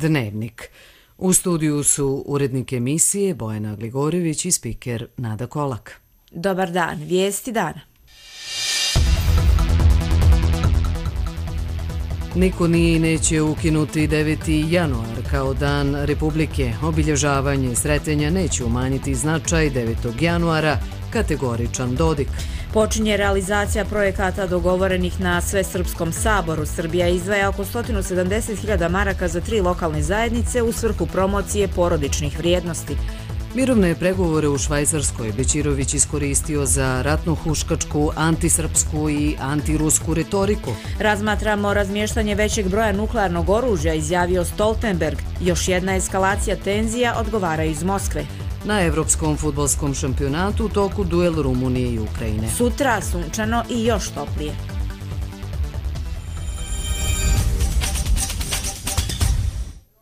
Dnevnik. U studiju su urednik emisije Bojana Gligorević i spiker Nada Kolak. Dobar dan, vijesti dana. Niko nije i neće ukinuti 9. januar kao dan Republike. Obilježavanje Sretenja neće umanjiti značaj 9. januara, kategoričan Dodik. Počinje realizacija projekata dogovorenih na Svesrpskom saboru. Srbija izdvaja oko 170.000 maraka za 3 lokalne zajednice u svrhu promocije porodičnih vrijednosti. Mirovne pregovore u Švajcarskoj Bećirović iskoristio za ratno-huškačku, antisrpsku i antirusku retoriku. Razmatramo razmještanje većeg broja nuklearnog oružja, izjavio Stoltenberg. Još jedna eskalacija tenzija, odgovaraju iz Moskve. Na Evropskom fudbalskom šampionatu u toku duel Rumunije i Ukrajine. Sutra sunčano i još toplije.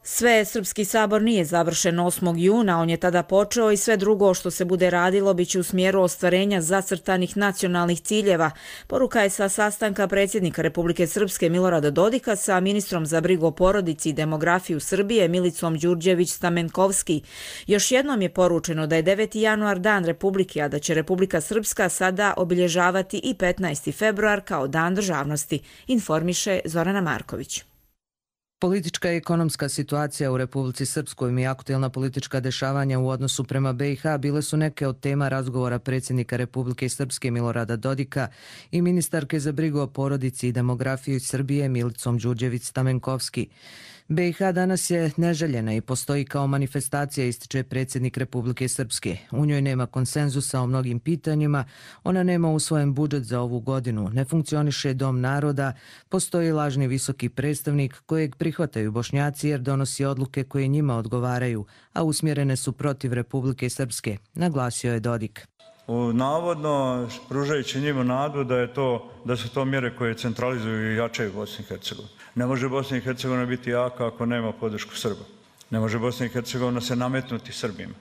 Svesrpski sabor nije završen 8. juna, on je tada počeo i sve drugo što se bude radilo biće u smjeru ostvarenja zacrtanih nacionalnih ciljeva. Poruka je sa sastanka predsjednika Republike Srpske Milorada Dodika sa ministrom za brigu o porodici i demografiju Srbije Milicom Đurđević-Stamenkovski. Još jednom je poručeno da je 9. januar dan Republike, a da će Republika Srpska sada obilježavati i 15. februar kao dan državnosti, informiše Zorana Marković. Politička i ekonomska situacija u Republici Srpskoj i aktuelna politička dešavanja u odnosu prema BiH bile su neke od tema razgovora predsjednika Republike Srpske Milorada Dodika i ministarke za brigu o porodici i demografiju Srbije Milicom Đurđević-Stamenkovski. BiH danas je neželjena i postoji kao manifestacija, ističe predsjednik Republike Srpske. U njoj nema konsenzusa o mnogim pitanjima, ona nema usvojen budžet za ovu godinu, ne funkcioniše dom naroda, postoji lažni visoki predstavnik kojeg prihvataju Bošnjaci jer donosi odluke koje njima odgovaraju, a usmjerene su protiv Republike Srpske, naglasio je Dodik. Navodno pružajući njima nadu da su to mjere koje centralizuju i jačaju Bosnu i Hercegovinu. Ne može Bosna i Hercegovina biti jaka ako nema podršku Srba. Ne može Bosna i Hercegovina se nametnuti Srbima.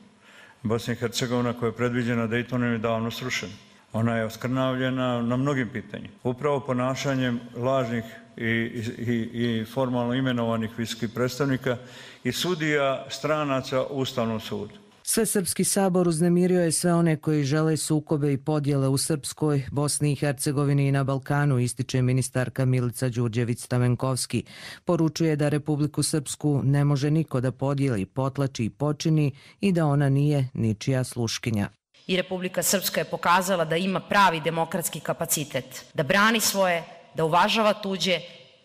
Bosna i Hercegovina koja je predviđena Daytonom je davno srušena. Ona je oskrnavljena na mnogim pitanjima. Upravo ponašanjem lažnih i formalno imenovanih visokih predstavnika i sudija stranaca u Ustavnom sudu. Svesrpski sabor uznemirio je sve one koji žele sukobe i podjele u Srpskoj, Bosni i Hercegovini i na Balkanu, ističe ministarka Milica Đurđević-Stamenkovski. Poručuje da Republiku Srpsku ne može niko da podijeli, potlači i počini i da ona nije ničija sluškinja. I Republika Srpska je pokazala da ima pravi demokratski kapacitet, da brani svoje, da uvažava tuđe,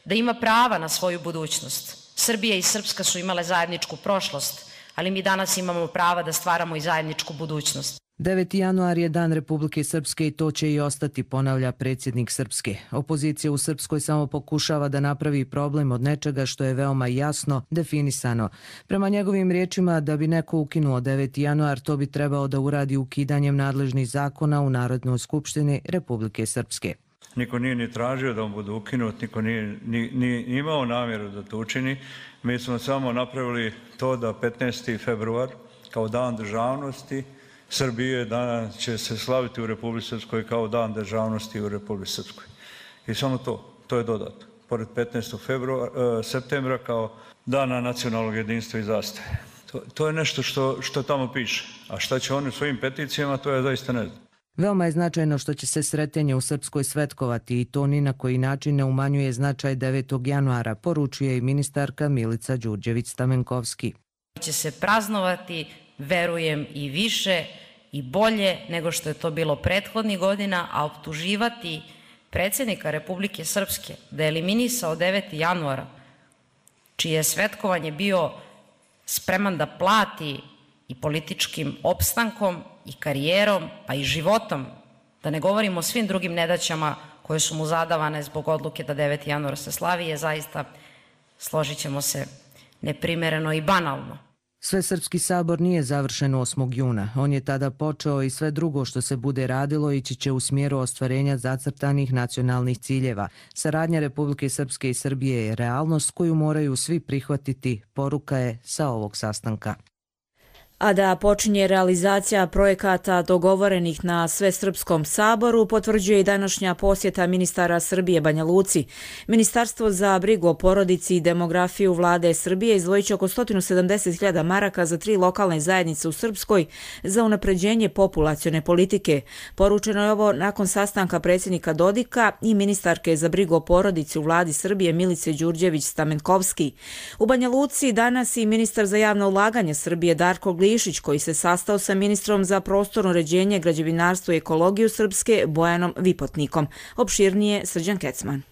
da ima prava na svoju budućnost. Srbija i Srpska su imale zajedničku prošlost, ali mi danas imamo prava da stvaramo i zajedničku budućnost. 9. januar je dan Republike Srpske i to će i ostati, ponavlja predsjednik Srpske. Opozicija u Srpskoj samo pokušava da napravi problem od nečega što je veoma jasno definisano. Prema njegovim riječima, da bi neko ukinuo 9. januar, to bi trebao da uradi ukidanjem nadležnih zakona u Narodnoj skupštini Republike Srpske. Niko nije ni tražio da on bude ukinut, niko nije ni imao namjeru da to učini. Mi smo samo napravili to da 15. februar kao dan državnosti Srbije danas će se slaviti u Republici Srpskoj kao dan državnosti u Republici Srpskoj. I samo to je dodato. Pored 15. septembra kao dana nacionalnog jedinstva i zastave. To je nešto što tamo piše. A šta će oni svojim peticijama, to ja zaista ne znam. Veoma je značajno što će se Sretenje u Srpskoj svetkovati i to ni na koji način ne umanjuje značaj 9. januara, poručuje i ministarka Milica Đurđević-Stamenkovski. Će se praznovati, verujem, i više i bolje nego što je to bilo prethodnih godina, a optuživati predsjednika Republike Srpske da je eliminisao 9. januara, čije je svetkovanje bio spreman da plati i političkim opstankom i karijerom, pa i životom, da ne govorimo o svim drugim nedaćama koje su mu zadavane zbog odluke da 9. januar se slavi, je zaista, složit ćemo se, neprimereno i banalno. Svesrpski sabor nije završen 8. juna. On je tada počeo i sve drugo što se bude radilo ići će u smjeru ostvarenja zacrtanih nacionalnih ciljeva. Saradnja Republike Srpske i Srbije je realnost koju moraju svi prihvatiti, poruka je sa ovog sastanka. A da počinje realizacija projekata dogovorenih na Svesrpskom saboru potvrđuje i današnja posjeta ministara Srbije Banja Luci. Ministarstvo za brigu o porodici i demografiju vlade Srbije izdvojit će oko 170.000 maraka za 3 lokalne zajednice u Srpskoj za unapređenje populacione politike. Poručeno je ovo nakon sastanka predsjednika Dodika i ministarke za brigu o porodici u vladi Srbije Milice Đurđević-Stamenkovski. U Banja Luci danas i ministar za javno ulaganje Srbije Darko Glišić, koji se sastao sa ministrom za prostorno uređenje, građevinarstvo i ekologiju Srpske Bojanom Vipotnikom. Opširnije Srđan Kecman.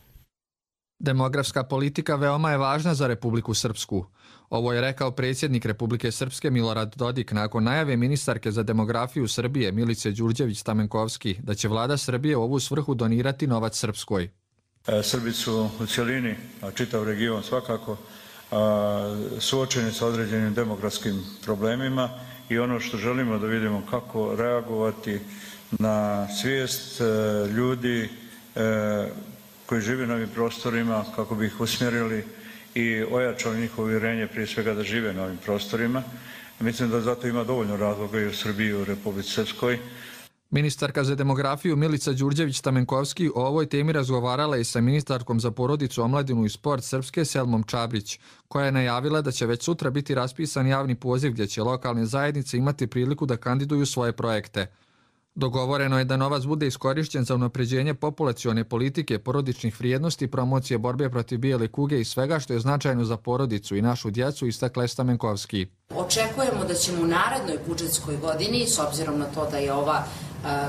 Demografska politika veoma je važna za Republiku Srpsku. Ovo je rekao predsjednik Republike Srpske Milorad Dodik nakon najave ministarke za demografiju Srbije Milice Đurđević-Stamenkovski da će vlada Srbije u ovu svrhu donirati novac Srpskoj. Srbi su u cjelini, a čitav region svakako, suočeni sa određenim demografskim problemima i ono što želimo da vidimo kako reagovati na svijest ljudi koji žive na ovim prostorima, kako bi ih usmjerili i ojačali njihovo uvjerenje prije svega da žive na ovim prostorima. Mislim da zato ima dovoljno razloga i u Srbiji i u Republici Srpskoj. Ministarka za demografiju Milica Đurđević-Stamenkovski o ovoj temi razgovarala i sa ministarkom za porodicu, omladinu i sport Srpske Selmom Čabrić, koja je najavila da će već sutra biti raspisan javni poziv gdje će lokalne zajednice imati priliku da kandiduju svoje projekte. Dogovoreno je da novac bude iskorišćen za unapređenje populacione politike, porodičnih vrijednosti, promocije borbe protiv bijele kuge i svega što je značajno za porodicu i našu djecu, istakla je Stamenkovski. Očekujemo da ćemo u narednoj budžetskoj godini, s obzirom na to da je ova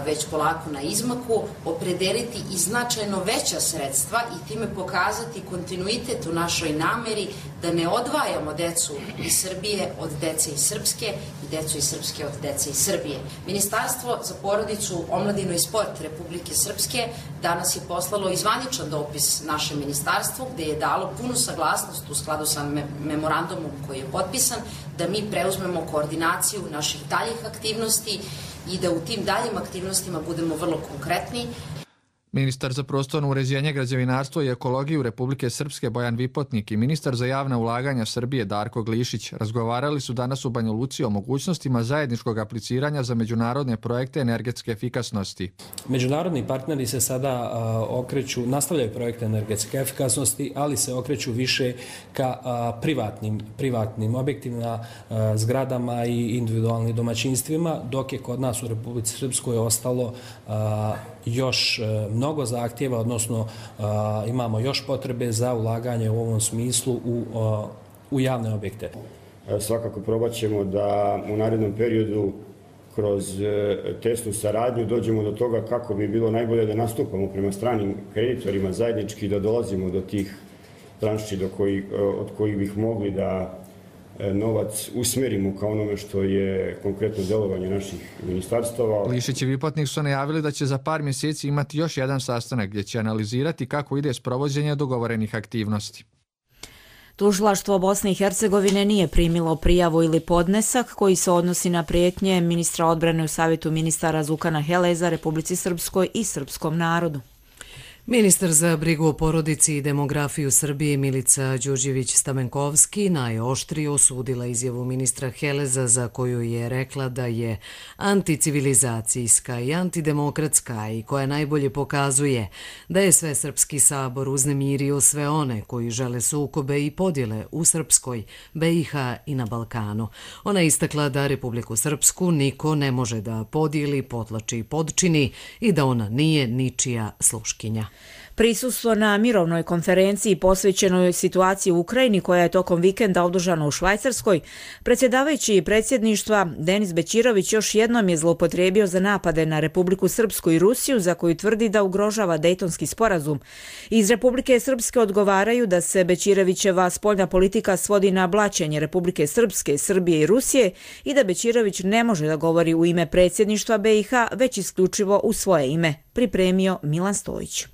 već polako na izmaku, opredeliti i značajno veća sredstva i time pokazati kontinuitet u našoj nameri da ne odvajamo decu iz Srbije od dece iz Srpske i decu iz Srpske od dece iz Srbije. Ministarstvo za porodicu, omladinu i sport Republike Srpske danas je poslalo i zvaničan dopis našem ministarstvu gdje je dalo punu saglasnost u skladu sa memorandumom koji je potpisan da mi preuzmemo koordinaciju naših daljih aktivnosti i da u tim daljim aktivnostima budemo vrlo konkretni. Ministar za prostorno uređenje, građevinarstvo i ekologiju Republike Srpske Bojan Vipotnik i ministar za javna ulaganja Srbije Darko Glišić razgovarali su danas u Banja Luci o mogućnostima zajedničkog apliciranja za međunarodne projekte energetske efikasnosti. Međunarodni partneri se sada okreću, nastavljaju projekte energetske efikasnosti, ali se okreću više ka privatnim objektima, zgradama i individualnim domaćinstvima, dok je kod nas u Republici Srpskoj ostalo još mnogo zahtjeva, odnosno imamo još potrebe za ulaganje u ovom smislu u javne objekte. Svakako probat ćemo da u narednom periodu kroz tesnu saradnju dođemo do toga kako bi bilo najbolje da nastupamo prema stranim kreditorima zajednički, da dolazimo do tih tranši od kojih bih mogli da novac usmjerimo kao onome što je konkretno delovanje naših ministarstava. Glišić i Vipotnik su najavili da će za par mjeseci imati još jedan sastanak gdje će analizirati kako ide sprovođenje dogovorenih aktivnosti. Tužilaštvo Bosne i Hercegovine nije primilo prijavu ili podnesak koji se odnosi na prijetnje ministra odbrane u Savjetu ministara Zukana Heleza Republici Srpskoj i srpskom narodu. Ministar za brigu o porodici i demografiju Srbije Milica Đurđević-Stamenkovski najoštrije osudila izjavu ministra Heleza za koju je rekla da je anticivilizacijska i antidemokratska i koja najbolje pokazuje da je Svesrpski sabor uznemirio sve one koji žele sukobe i podjele u Srpskoj, BiH i na Balkanu. Ona je istakla da Republiku Srpsku niko ne može da podijeli, potlači i podčini i da ona nije ničija sluškinja. Prisustvo na mirovnoj konferenciji posvećenoj situaciji u Ukrajini koja je tokom vikenda održana u Švajcarskoj, predsjedavajući predsjedništva Denis Bećirović još jednom je zloupotrijebio za napade na Republiku Srpsku i Rusiju za koju tvrdi da ugrožava Dejtonski sporazum. Iz Republike Srpske odgovaraju da se Bećirovićeva spoljna politika svodi na blaćenje Republike Srpske, Srbije i Rusije i da Bećirović ne može da govori u ime predsjedništva BiH, već isključivo u svoje ime, pripremio Milan Stojić.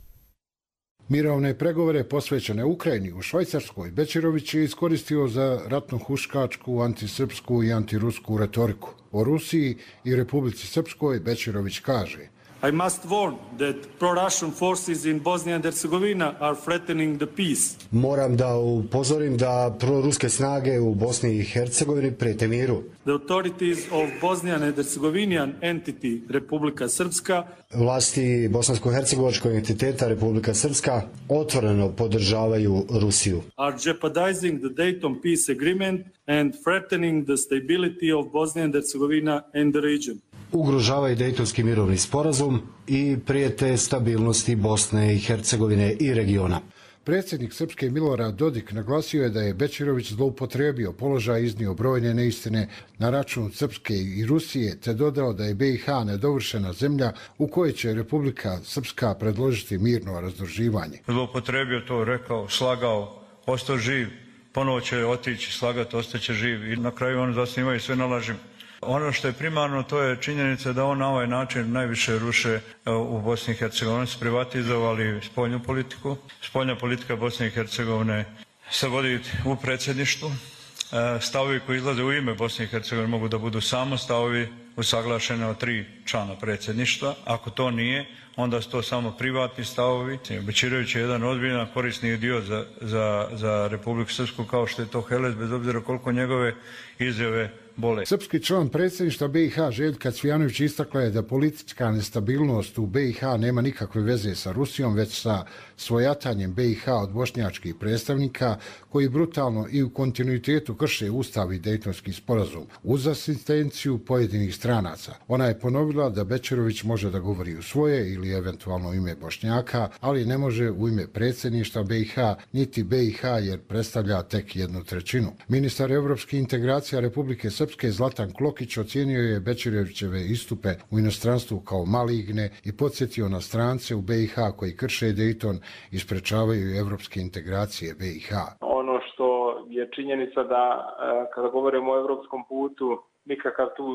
Mirovne pregovore posvećene Ukrajini u Švajcarskoj Bećirović je iskoristio za ratno-huškačku, antisrpsku i antirusku retoriku. O Rusiji i Republici Srpskoj Bećirović kaže: I must warn that pro-Russian forces in Bosnia and Herzegovina are threatening the peace. Moram da upozorim da proruske snage u Bosni i Hercegovini prijete miru. The authorities of Bosnian and Herzegovinian entity Republika Srpska, vlasti bosansko-hercegovačkog entiteta Republika Srpska otvoreno podržavaju Rusiju. Are jeopardizing the Dayton peace agreement and threatening the stability of Bosnia and Herzegovina and the region. Ugrožavaju Dejtonski mirovni sporazum i prijete stabilnosti Bosne i Hercegovine i regiona. Predsjednik Srpske Milorad Dodik naglasio je da je Bećirović zloupotrijebio položaj i iznio brojne neistine na račun Srpske i Rusije, te dodao da je BiH nedovršena zemlja u kojoj će Republika Srpska predložiti mirno razdruživanje. Zloupotrijebio to, rekao, slagao, ostao živ, ponovo će otići, slagati, ostaće živ i na kraju oni zasnimaju sve na lažima. Ono što je primarno, to je činjenica da on na ovaj način najviše ruše u Bosni i Hercegovini. Oni su privatizovali spoljnu politiku. Spoljna politika Bosne i Hercegovine se vodi u predsjedništvu. Stavovi koji izlaze u ime Bosne i Hercegovine mogu da budu samo stavovi usaglašeni od 3 člana predsjedništva. Ako to nije, onda su to samo privatni stavovi. Bećirović je jedan ozbiljan korisni dio za Republiku Srpsku, kao što je to Helez, bez obzira koliko njegove izjave bole. Srpski član predsjedništva BiH Željka Cvijanović istakla je da politička nestabilnost u BiH nema nikakve veze sa Rusijom, već sa svojatanjem BiH od bošnjačkih predstavnika koji brutalno i u kontinuitetu krše Ustav i Dejtonski sporazum uz asistenciju pojedinih stranaca. Ona je ponovila da Bećirović može da govori u svoje ili eventualno u ime Bošnjaka, ali ne može u ime predsjedništva BiH niti BiH jer predstavlja tek 1/3. Ministar evropskih integracija Republike Srpske Zlatan Klokić ocijenio je Bećirovićeve istupe u inostranstvu kao maligne i podsjetio na strance u BiH koji krše Dejton i sprečavaju evropske integracije BiH. Ono što je činjenica da kada govorimo o evropskom putu nikakav tu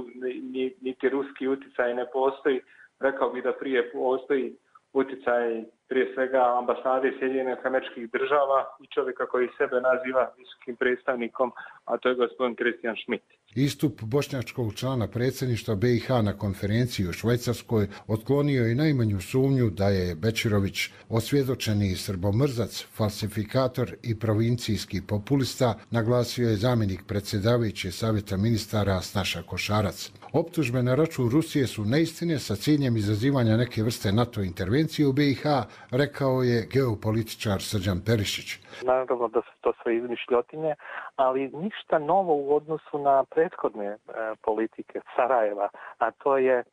niti ruski uticaj ne postoji. Rekao bih da prije postoji uticaj prije svega ambasade Sjedinjenih Američkih Država i čovjeka koji sebe naziva visokim predstavnikom, a to je gospodin Christian Schmidt. Istup bošnjačkog člana predsjedništva BiH na konferenciji u Švajcarskoj otklonio i najmanju sumnju da je Bećirović osvjedočeni srbomrzac, falsifikator i provincijski populista, naglasio je zamjenik predsjedavajuće savjeta ministara Snaša Košarac. Optužbe na račun Rusije su neistine sa ciljem izazivanja neke vrste NATO intervencije u BiH, rekao je geopolitičar Srđan Perišić. Naravno da su to sve izmišljotine, ali ništa novo u odnosu na prethodne politike Sarajeva, a to je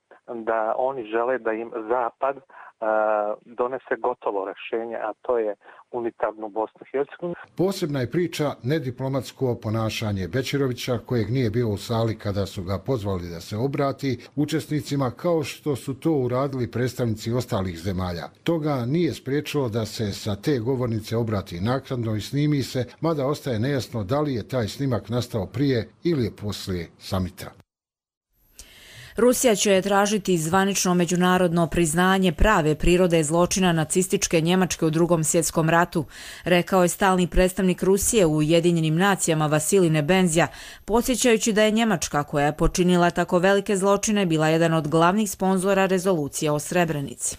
da oni žele da im Zapad donese gotovo rješenje, a to je unitarnu Bosnu i Hercegovinu. Posebna je priča nediplomatsko ponašanje Bećirovića, kojeg nije bio u sali kada su ga pozvali da se obrati učesnicima, kao što su to uradili predstavnici ostalih zemalja. Toga nije spriječilo da se sa te govornice obrati naknadno i snimi se, mada ostaje nejasno da li je taj snimak nastao prije ili je poslije samita. Rusija će tražiti zvanično međunarodno priznanje prave prirode zločina nacističke Njemačke u Drugom svjetskom ratu, rekao je stalni predstavnik Rusije u Ujedinjenim nacijama Vasilij Nebenzija, podsjećajući da je Njemačka, koja je počinila tako velike zločine, bila jedan od glavnih sponzora rezolucije o Srebrenici.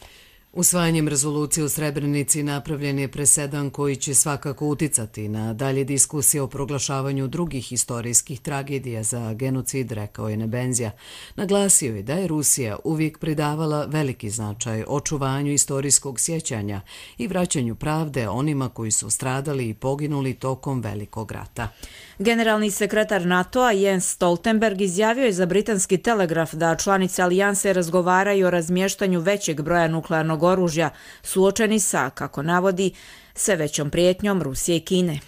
Usvajanjem rezolucije u Srebrenici napravljen je presedan koji će svakako uticati na dalje diskusije o proglašavanju drugih istorijskih tragedija za genocid, rekao je Nebenzija. Naglasio je da je Rusija uvijek pridavala veliki značaj očuvanju istorijskog sjećanja i vraćanju pravde onima koji su stradali i poginuli tokom Velikog rata. Generalni sekretar NATO-a Jens Stoltenberg izjavio je za britanski Telegraf da članice alijanse razgovaraju o razmještanju većeg broja nuklearnog oružja, suočeni sa, kako navodi, sve većom prijetnjom Rusije i Kine.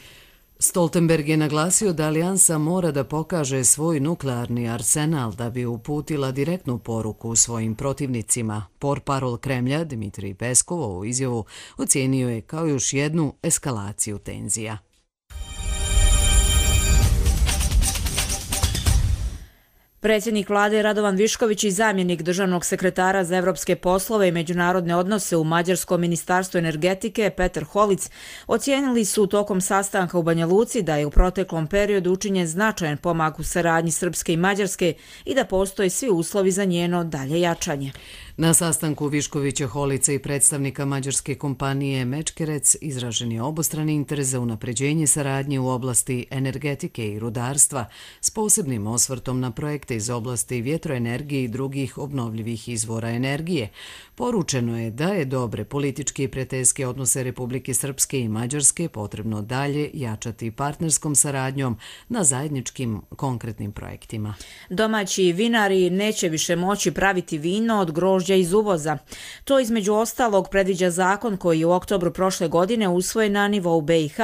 Stoltenberg je naglasio da alijansa mora da pokaže svoj nuklearni arsenal da bi uputila direktnu poruku svojim protivnicima. Portparol Kremlja Dmitrij Peskov ovu izjavu ocijenio je kao još jednu eskalaciju tenzija. Predsjednik vlade Radovan Višković i zamjenik državnog sekretara za evropske poslove i međunarodne odnose u Mađarskom ministarstvu energetike Petar Holic ocijenili su tokom sastanka u Banja Luci da je u proteklom periodu učinjen značajan pomak u saradnji Srpske i Mađarske i da postoje svi uslovi za njeno dalje jačanje. Na sastanku Viškovića, Holica i predstavnika mađarske kompanije Mečkerec izražen je obostrani interes za unapređenje saradnje u oblasti energetike i rudarstva s posebnim osvrtom na projekte iz oblasti vjetroenergije i drugih obnovljivih izvora energije. Poručeno je da je dobre političke i prijateljske odnose Republike Srpske i Mađarske potrebno dalje jačati partnerskom saradnjom na zajedničkim konkretnim projektima. Domaći vinari neće više moći praviti vino od grožđa iz uvoza. To između ostalog predviđa zakon koji je u oktobru prošle godine usvojen na nivou BiH.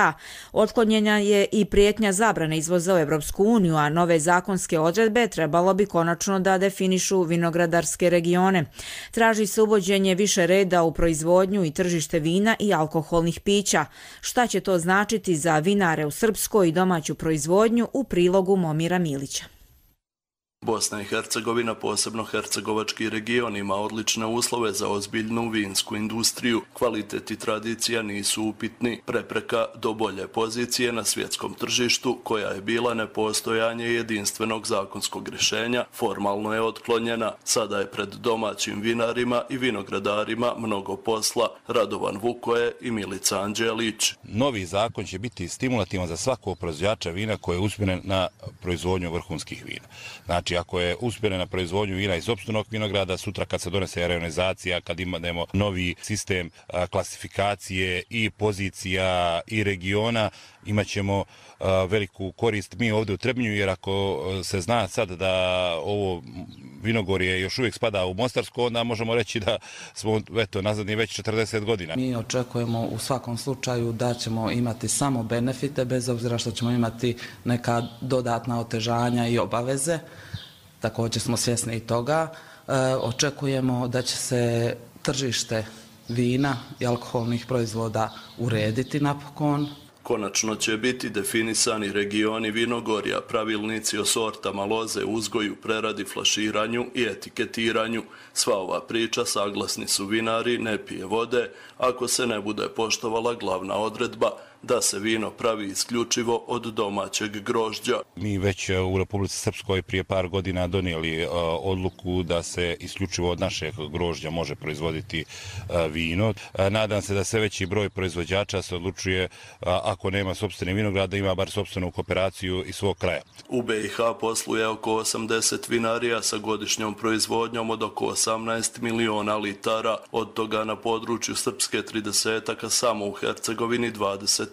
Otklonjena je i prijetnja zabrane izvoza u Evropsku uniju, a nove zakonske odredbe trebalo bi konačno da definišu vinogradarske regione. Traži se uvođenje više reda u proizvodnju i tržište vina i alkoholnih pića. Šta će to značiti za vinare u srpskoj i domaću proizvodnju u prilogu Momira Milića. Bosna i Hercegovina, posebno hercegovački region, ima odlične uslove za ozbiljnu vinsku industriju. Kvalitet i tradicija nisu upitni. Prepreka do bolje pozicije na svjetskom tržištu, koja je bila nepostojanje jedinstvenog zakonskog rješenja, formalno je otklonjena. Sada je pred domaćim vinarima i vinogradarima mnogo posla. Radovan Vukoje i Milica Anđelić. Novi zakon će biti stimulativan za svakog proizvođača vina koji je usmjeren na proizvodnju vrhunskih vina. Znači, ako je usmjeren na proizvodnju vina iz sopstvenog vinograda, sutra kad se donese rejonizacija, kad imamo novi sistem klasifikacije i pozicija i regiona, imat ćemo veliku korist mi ovdje u Trebinju, jer ako se zna sad da ovo vinogorje još uvijek spada u Mostarsko, onda možemo reći da smo nazadni već 40 godina. Mi očekujemo u svakom slučaju da ćemo imati samo benefite, bez obzira što ćemo imati neka dodatna otežanja i obaveze. Također smo svjesni i toga. Očekujemo da će se tržište vina i alkoholnih proizvoda urediti napokon. Konačno će biti definisani regioni vinogorja, pravilnici o sortama loze, uzgoju, preradi, flaširanju i etiketiranju. Sva ova priča, saglasni su vinari, ne pije vode ako se ne bude poštovala glavna odredba da se vino pravi isključivo od domaćeg grožđa. Mi već u Republici Srpskoj prije par godina donijeli odluku da se isključivo od našeg grožđa može proizvoditi vino. Nadam se da sve veći broj proizvođača se odlučuje, ako nema sopstvene vinograda, ima bar sopstvenu kooperaciju iz svog kraja. U BiH posluje oko 80 vinarija sa godišnjom proizvodnjom od oko 18 miliona litara, od toga na području Srpske 30-aka, samo u Hercegovini 28.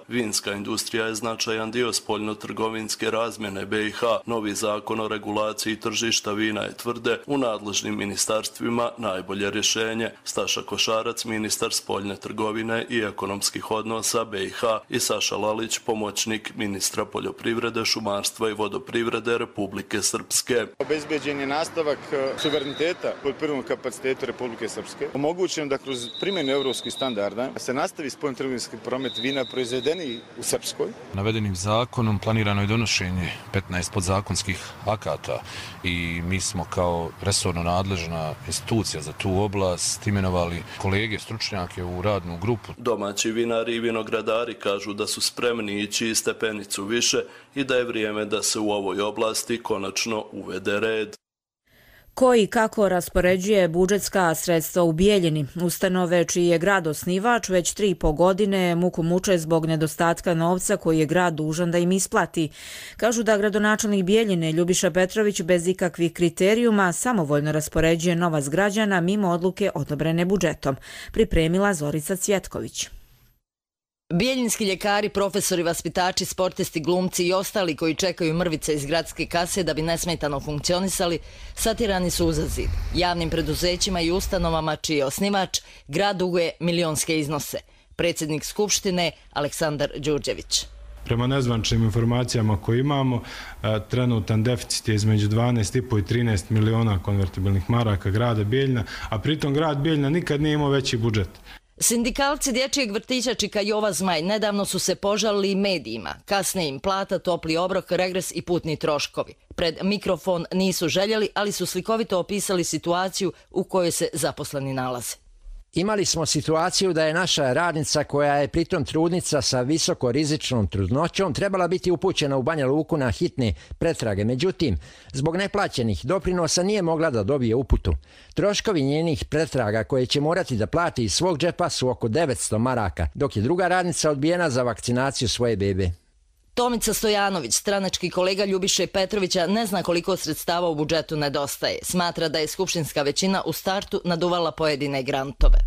Vinska industrija je značajan dio spoljno-trgovinske razmjene BiH. Novi zakon o regulaciji tržišta vina je, tvrde u nadležnim ministarstvima, najbolje rješenje. Staša Košarac, ministar spoljne trgovine i ekonomskih odnosa BiH, i Saša Lalić, pomoćnik ministra poljoprivrede, šumarstva i vodoprivrede Republike Srpske. Obezbeđen je nastavak suvereniteta poljoprivrednog kapaciteta Republike Srpske. Omogućeno da kroz primjenu evropskih standarda se nastavi spoljno-trgovinski promet vina proizvedeni u Srpskoj. Navedenim zakonom planirano je donošenje 15 podzakonskih akata i mi smo kao resorno nadležna institucija za tu oblast imenovali kolege, stručnjake u radnu grupu. Domaći vinari i vinogradari kažu da su spremni ići i stepenicu više i da je vrijeme da se u ovoj oblasti konačno uvede red. Ko i kako raspoređuje budžetska sredstva u Bijeljini? Ustanove čiji je grad osnivač već 3,5 godine muku muče zbog nedostatka novca koji je grad dužan da im isplati. Kažu da gradonačelnik Bijeljine Ljubiša Petrović bez ikakvih kriterijuma samovoljno raspoređuje novac građana mimo odluke odobrene budžetom. Pripremila Zorica Cvjetković. Bijeljinski ljekari, profesori, vaspitači, sportisti, glumci i ostali koji čekaju mrvice iz gradske kase da bi nesmetano funkcionisali, satirani su uza zid. Javnim preduzećima i ustanovama čiji je osnivač, grad duguje milionske iznose. Predsjednik Skupštine Aleksandar Đurđević. Prema nezvaničnim informacijama koje imamo, trenutan deficit je između 12,5 i 13 miliona konvertibilnih maraka grada Bijeljina, a pritom grad Bijeljina nikad nije imao veći budžet. Sindikalci dječjeg vrtića Čika Jova Zmaj nedavno su se požalili i medijima. Kasne im plata, topli obrok, regres i putni troškovi. Pred mikrofon nisu željeli, ali su slikovito opisali situaciju u kojoj se zaposleni nalaze. Imali smo situaciju da je naša radnica, koja je pritom trudnica sa visokorizičnom trudnoćom, trebala biti upućena u Banja Luku na hitne pretrage. Međutim, zbog neplaćenih doprinosa nije mogla da dobije uputu. Troškovi njenih pretraga koje će morati da plati iz svog džepa su oko 900 maraka, dok je druga radnica odbijena za vakcinaciju svoje bebe. Tomica Stojanović, stranački kolega Ljubiše Petrovića, ne zna koliko sredstava u budžetu nedostaje. Smatra da je skupštinska većina u startu naduvala pojedine grantove.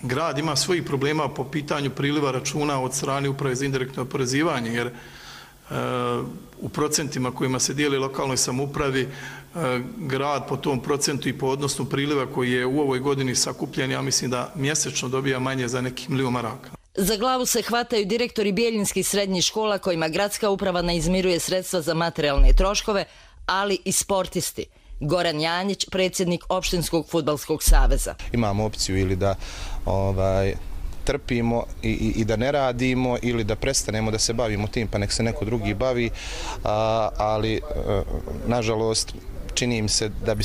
Grad ima svojih problema po pitanju priliva računa od strane Uprave za indirektno oporezivanje, jer u procentima kojima se dijeli lokalnoj samoupravi, grad po tom procentu i po odnosu priliva koji je u ovoj godini sakupljen, ja mislim da mjesečno dobija manje za nekih 1 milion maraka. Za glavu se hvataju direktori bijeljinskih srednjih škola kojima gradska uprava ne izmiruje sredstva za materijalne troškove, ali i sportisti. Goran Janjić, predsjednik Opštinskog fudbalskog saveza. Imamo opciju ili da trpimo i da ne radimo, ili da prestanemo da se bavimo tim pa nek se neko drugi bavi, ali nažalost čini im se da bi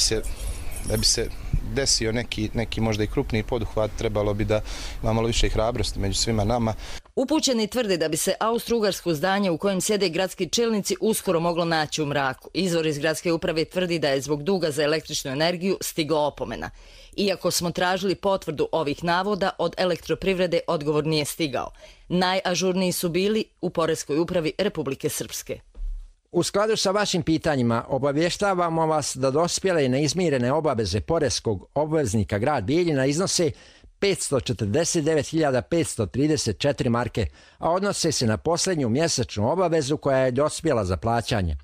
se desio neki možda i krupniji poduhvat, trebalo bi da ima malo više hrabrosti među svima nama. Upućeni tvrde da bi se austro-ugarsko zdanje u kojem sjede gradski čelnici uskoro moglo naći u mraku. Izvor iz gradske uprave tvrdi da je zbog duga za električnu energiju stigla opomena. Iako smo tražili potvrdu ovih navoda, od elektroprivrede odgovor nije stigao. Najažurniji su bili u Poreskoj upravi Republike Srpske. U skladu sa vašim pitanjima obavještavamo vas da dospjele i neizmirene obaveze poreskog obveznika grad Bijeljina iznose 549.534 marke, a odnose se na posljednju mjesečnu obavezu koja je dospjela za plaćanje.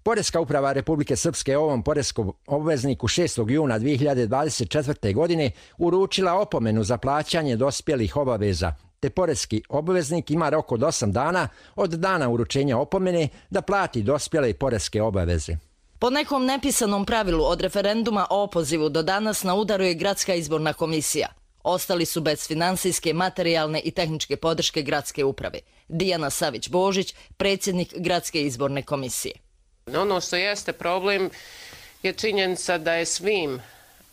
Poreska uprava Republike Srpske ovom poreskom obvezniku 6. juna 2024. godine uručila opomenu za plaćanje dospjelih obaveza, te poreski obveznik ima rok od 8 dana od dana uručenja opomene da plati dospjele poreske obaveze. Po nekom nepisanom pravilu od referenduma o opozivu do danas na udaru je Gradska izborna komisija. Ostali su bez finansijske, materijalne i tehničke podrške gradske uprave. Dijana Savić-Božić, predsjednik Gradske izborne komisije. Ono što jeste problem je činjenica da je svim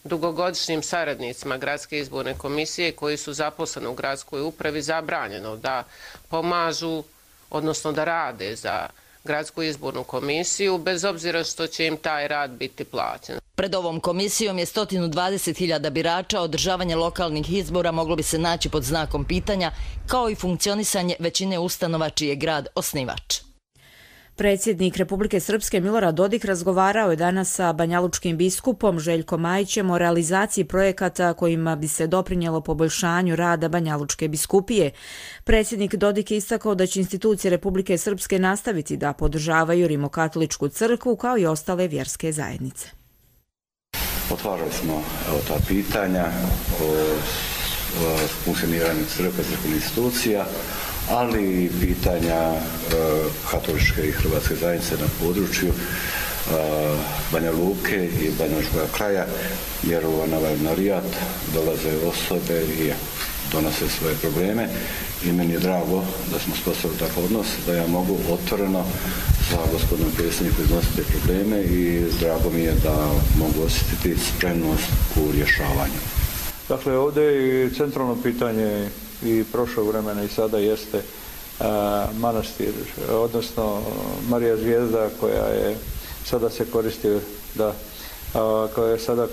dugogodišnjim saradnicima Gradske izborne komisije koji su zaposleni u gradskoj upravi zabranjeno da pomažu, odnosno da rade za Gradsku izbornu komisiju, bez obzira što će im taj rad biti plaćen. Pred ovom komisijom je 120.000 birača, održavanje lokalnih izbora moglo bi se naći pod znakom pitanja, kao i funkcionisanje većine ustanova čiji je grad osnivač. Predsjednik Republike Srpske Milorad Dodik razgovarao je danas sa banjalučkim biskupom Željkom Majićem o realizaciji projekata kojima bi se doprinjelo poboljšanju rada Banjalučke biskupije. Predsjednik Dodik je istakao da će institucije Republike Srpske nastaviti da podržavaju Rimokatoličku crkvu kao i ostale vjerske zajednice. Otvarali smo ta pitanja o funkcioniranju crkve, crkvenih institucija, ali i pitanja katoličke i hrvatske zajednice na području Banja Luke i Banjalučkog kraja, jer na ovaj narijat dolaze osobe i donose svoje probleme i meni je drago da smo sposobili takav odnos, da ja mogu otvoreno sa gospodinom predsjednikom iznositi probleme i drago mi je da mogu osjetiti spremnost u rješavanju. Dakle, ovdje je centralno pitanje i prošlog vremena i sada jeste manastir, odnosno Marija Zvijezda koja je sada se koristi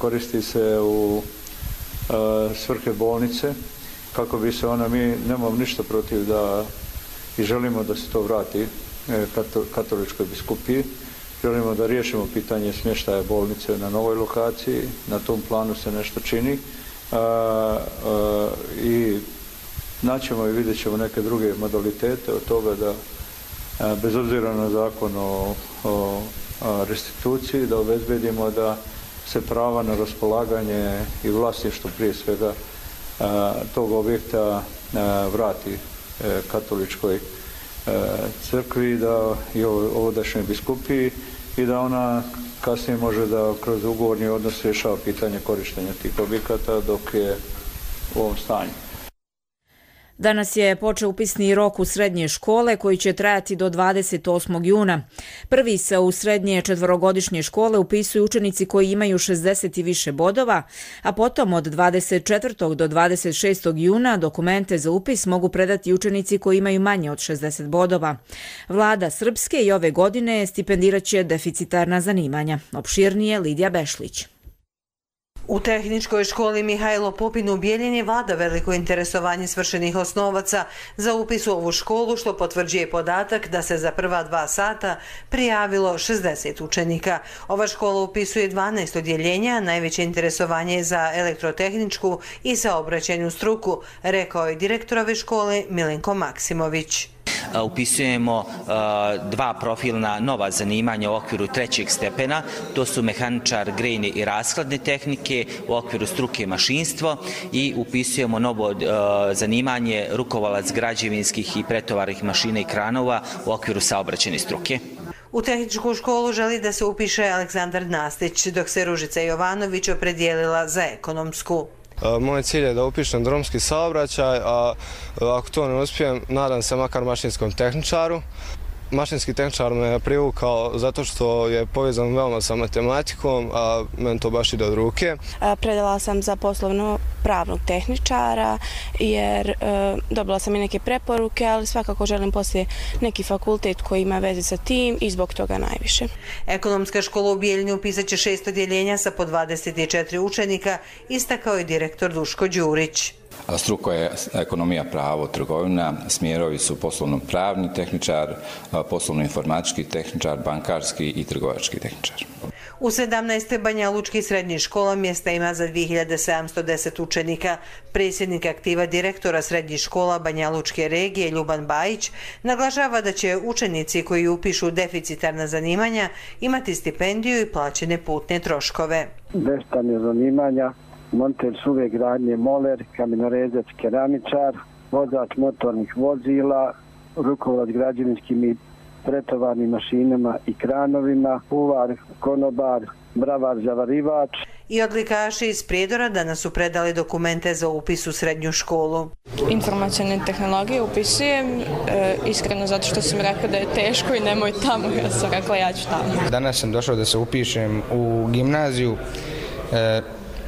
koristi se u svrhe bolnice, kako bi se ona, mi nemamo ništa protiv da i želimo da se to vrati katoličkoj biskupiji. Želimo da riješimo pitanje smještaja bolnice na novoj lokaciji, na tom planu se nešto čini i naćemo i vidjet ćemo neke druge modalitete od toga da bez obzira na zakon o restituciji da obezbedimo da se prava na raspolaganje i vlasništvo prije svega tog objekta vrati katoličkoj crkvi i ovdašnjoj biskupiji i da ona kasnije može da kroz ugovorni odnos rješava pitanje korištenja tih objekata dok je u ovom stanju. Danas je počeo upisni rok u srednje škole koji će trajati do 28. juna. Prvi se u srednje četvorogodišnje škole upisuju učenici koji imaju 60 i više bodova, a potom od 24. do 26. juna dokumente za upis mogu predati učenici koji imaju manje od 60 bodova. Vlada Srpske i ove godine stipendirat će deficitarna zanimanja. Opširnije Lidija Bešlić. U Tehničkoj školi Mihajlo Pupin u Bijeljini vlada veliko interesovanje svršenih osnovaca za upis u ovu školu, što potvrđuje podatak da se za prva 2 sata prijavilo 60 učenika. Ova škola upisuje 12 odjeljenja, najveće interesovanje je za elektrotehničku i saobraćajnu struku, rekao je direktor ove škole Milenko Maksimović. Upisujemo 2 profilna nova zanimanja u okviru 3. stepena, to su mehaničar grejne i rashladne tehnike u okviru struke mašinstvo i upisujemo novo zanimanje rukovalac građevinskih i pretovarnih mašina i kranova u okviru saobraćajne struke. U Tehničku školu želi da se upiše Aleksandar Nastić, dok se Ružica Jovanović opredijelila za ekonomsku. Moj cilj je da upišem drumski saobraćaj, a ako to ne uspijem, nadam se makar mašinskom tehničaru. Mašinski tehničar me je privukao zato što je povezan veoma sa matematikom, a meni to baš ide od ruke. Predala sam za poslovno pravnog tehničara jer dobila sam i neke preporuke, ali svakako želim poslije neki fakultet koji ima veze sa tim i zbog toga najviše. Ekonomska škola u Bijeljini upisat će 6 odjeljenja sa po 24 učenika, istakao je direktor Duško Đurić. Struka je ekonomija, pravo, trgovina, smjerovi su poslovno-pravni tehničar, poslovno-informatički tehničar, bankarski i trgovački tehničar. U 17. banjalučkih srednjih škola mjesta ima za 2710 učenika. Predsjednik aktiva direktora srednjih škola Banjalučke regije Ljuban Bajić naglašava da će učenici koji upišu deficitarna zanimanja imati stipendiju i plaćene putne troškove. Deficitarne zanimanja: monter suve gradnje, moler, kamenorezac, keramičar, vozač motornih vozila, rukovalac građevinskim i pretovarnim mašinama i kranovima, kuvar, konobar, bravar, zavarivač. I odlikaši iz Prijedora danas su predali dokumente za upis u srednju školu. Informacione tehnologije upisujem, iskreno zato što sam rekla da je teško i nemoj tamo, ja sam rekla ja ću tamo. Danas sam došao da se upišem u gimnaziju,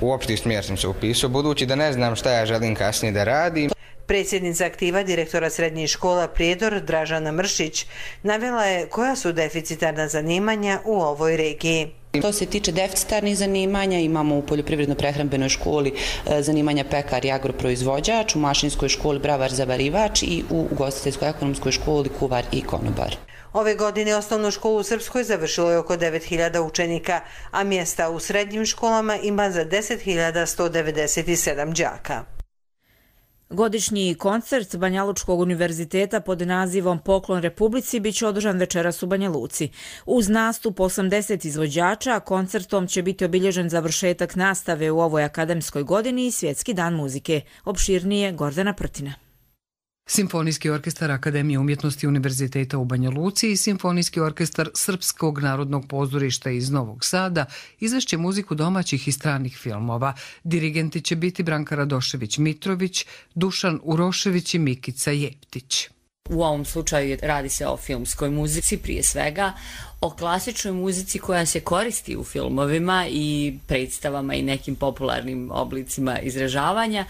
u opšti smjer sam se upisao, budući da ne znam šta ja želim kasnije da radim. Predsjednica aktiva direktora srednjih škola Prijedor Dražana Mršić navela je koja su deficitarna zanimanja u ovoj regiji. To se tiče deficitarnih zanimanja, imamo u poljoprivredno-prehrambenoj školi zanimanja pekar i agroproizvođač, u mašinskoj školi bravar zavarivač i u ugostiteljsko-ekonomskoj školi kuvar i konobar. Ove godine osnovnu školu u Srpskoj završilo je oko 9000 učenika, a mjesta u srednjim školama ima za 10.197 đaka. Godišnji koncert Banjalučkog univerziteta pod nazivom Poklon Republici biće održan večeras u Banja Luci. Uz nastup 80 izvođača, koncertom će biti obilježen završetak nastave u ovoj akademskoj godini i Svjetski dan muzike. Opširnije Gordana Prtina. Simfonijski orkestar Akademije umjetnosti Univerziteta u Banja Luci i Simfonijski orkestar Srpskog narodnog pozorišta iz Novog Sada izvešće muziku domaćih i stranih filmova. Dirigenti će biti Branka Radošević-Mitrović, Dušan Urošević i Mikica Jeptić. U ovom slučaju radi se o filmskoj muzici prije svega, o klasičnoj muzici koja se koristi u filmovima i predstavama i nekim popularnim oblicima izražavanja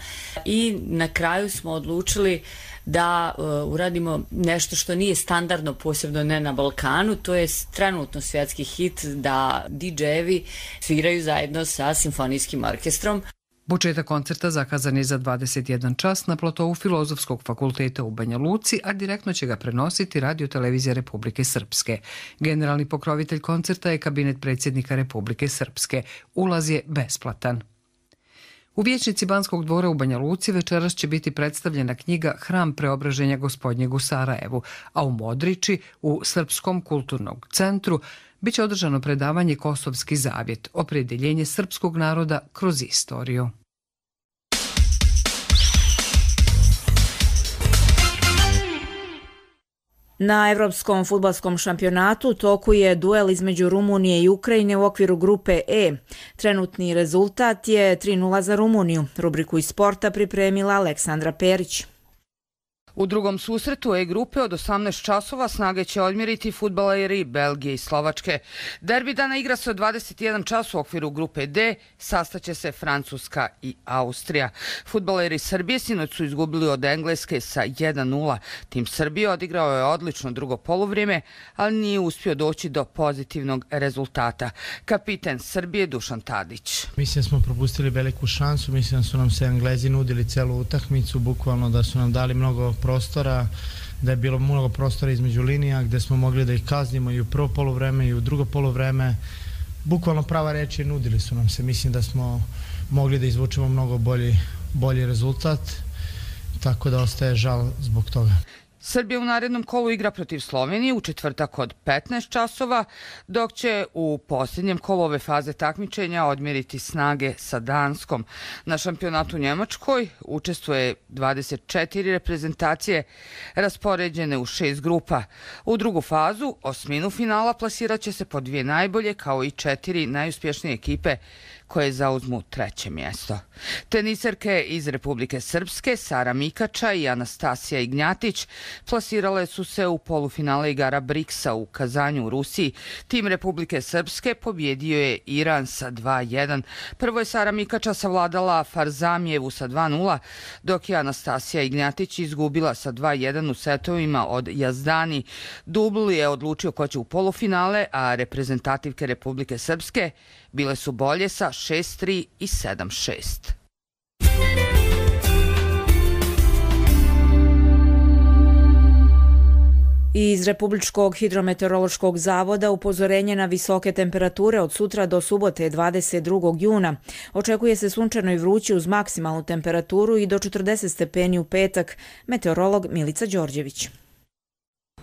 i na kraju smo odlučili da uradimo nešto što nije standardno, posebno ne na Balkanu, to je trenutno svjetski hit da DJ-evi sviraju zajedno sa simfonijskim orkestrom. Početak koncerta zakazan je za 21 čas na platovu Filozofskog fakulteta u Banja Luci, a direktno će ga prenositi Radio televizija Republike Srpske. Generalni pokrovitelj koncerta je kabinet predsjednika Republike Srpske. Ulaz je besplatan. U vijećnici Banskog dvora u Banja Luci večeras će biti predstavljena knjiga Hram preobraženja Gospodnjeg u Sarajevu, a u Modriči, u Srpskom kulturnog centru, biće održano predavanje Kosovski zavjet, opredjeljenje srpskog naroda kroz istoriju. Na Evropskom fudbalskom šampionatu u toku je duel između Rumunije i Ukrajine u okviru grupe E. Trenutni rezultat je 3:0 za Rumuniju. Rubriku iz sporta pripremila Aleksandra Perić. U drugom susretu E grupe od 18 časova snage će odmjeriti fudbaleri Belgije i Slovačke. Derbi dana igra se od 21 čas u okviru grupe D, sastaće se Francuska i Austrija. Fudbaleri Srbije sinoć su izgubili od Engleske sa 1:0. Tim Srbije odigrao je odlično drugo poluvrijeme, ali nije uspio doći do pozitivnog rezultata. Kapiten Srbije Dušan Tadić. Mislim da smo propustili veliku šansu, mislim da su nam se Englezi nudili celu utakmicu, bukvalno da su nam dali mnogo prostora, da je bilo mnogo prostora između linija gdje smo mogli da ih kaznimo i u prvo poluvreme i u drugo poluvreme. Bukvalno prava reč je, nudili su nam se. Mislim da smo mogli da izvučemo mnogo bolji rezultat, tako da ostaje žal zbog toga. Srbija u narednom kolu igra protiv Slovenije u četvrtak od 15 časova, dok će u posljednjem kolu ove faze takmičenja odmjeriti snage sa Danskom. Na šampionatu u Njemačkoj učestvuje 24 reprezentacije raspoređene u 6 grupa. U drugu fazu, osminu finala, plasirat će se po 2 najbolje kao i 4 najuspješnije ekipe koje zauzmu 3. mjesto. Teniserke iz Republike Srpske Sara Mikača i Anastasija Ignjatić plasirale su se u polufinale igara BRICS-a u Kazanju u Rusiji. Tim Republike Srpske pobjedio je Iran sa 2:1. Prvo je Sara Mikača savladala Farzamijevu sa 2:0, dok je Anastasija Ignjatić izgubila sa 2:1 u setovima od Jazdani. Dubl je odlučio ko će u polufinale, a reprezentativke Republike Srpske bile su bolje sa 6:3 i 7:6. Iz Republičkog hidrometeorološkog zavoda upozorenje na visoke temperature od sutra do subote 22. juna. Očekuje se sunčano i vruće uz maksimalnu temperaturu i do 40 stepeni u petak. Meteorolog Milica Đorđević.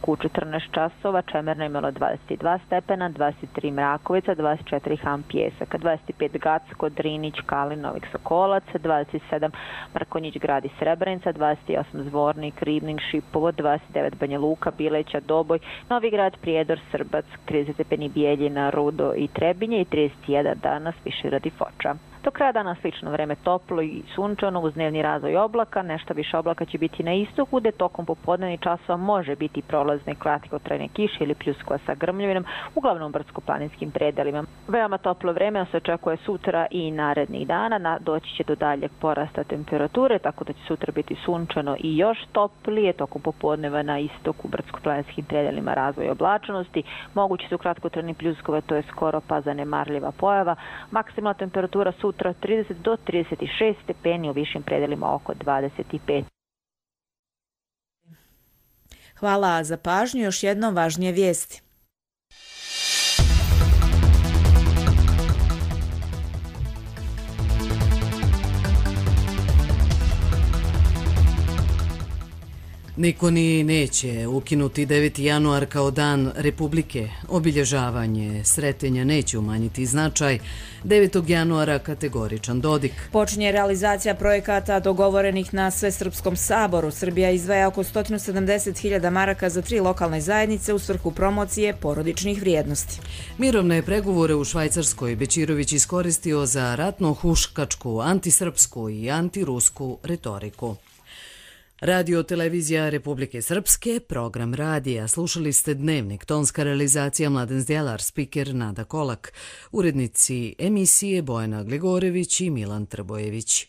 U 14 časova Čemerna imala 22 stepena, 23 Mrakovica, 24 Han Pjesak, 25 Gacko, Drinić, Kalin, Novik Sokolac, 27 Mrkonjić, Grad i Srebrenica, 28 Zvornik, Ribnik, Šipovo, 29 Banja Luka, Bileća, Doboj, Novi Grad, Prijedor, Srbac, 30 stepeni Bijeljina, Rudo i Trebinje i 31 danas Višegrad i Foča. Do kraja dana slično vreme toplo i sunčano uz dnevni razvoj oblaka, nešto više oblaka će biti na istoku, gde tokom popodnevnih časova može biti prolazne kratkotrajne kiše ili pljuskova sa grmljavinom, uglavnom brdsko-planinskim predelima. Veoma toplo vreme se očekuje sutra i narednih dana, doći će do daljeg porasta temperature, tako da će sutra biti sunčano i još toplije, tokom popodneva na istoku brdsko-planinskim predelima razvoj oblačnosti, mogući su kratkotrajni pljuskova, to je skoro pa zanemarljiva pojava, maksimalna temperatura sutra 30 do 36 stepeni, u višim predelima oko 25. Hvala za pažnju. Još jednom važnije vijesti. Niko ni neće ukinuti 9. januar kao dan Republike. Obilježavanje sretenja neće umanjiti značaj 9. januara kategoričan Dodik. Počinje realizacija projekata dogovorenih na Svesrpskom saboru. Srbija izdvaja oko 170.000 maraka za 3 lokalne zajednice u svrhu promocije porodičnih vrijednosti. Mirovne pregovore u Švajcarskoj Bećirović iskoristio za ratno-huškačku, antisrpsku i antirusku retoriku. Radio televizija Republike Srpske, program radija. Slušali ste Dnevnik, tonska realizacija Mladen Zdjelar, spiker Nada Kolak, urednici emisije Bojana Gligorević i Milan Trbojević.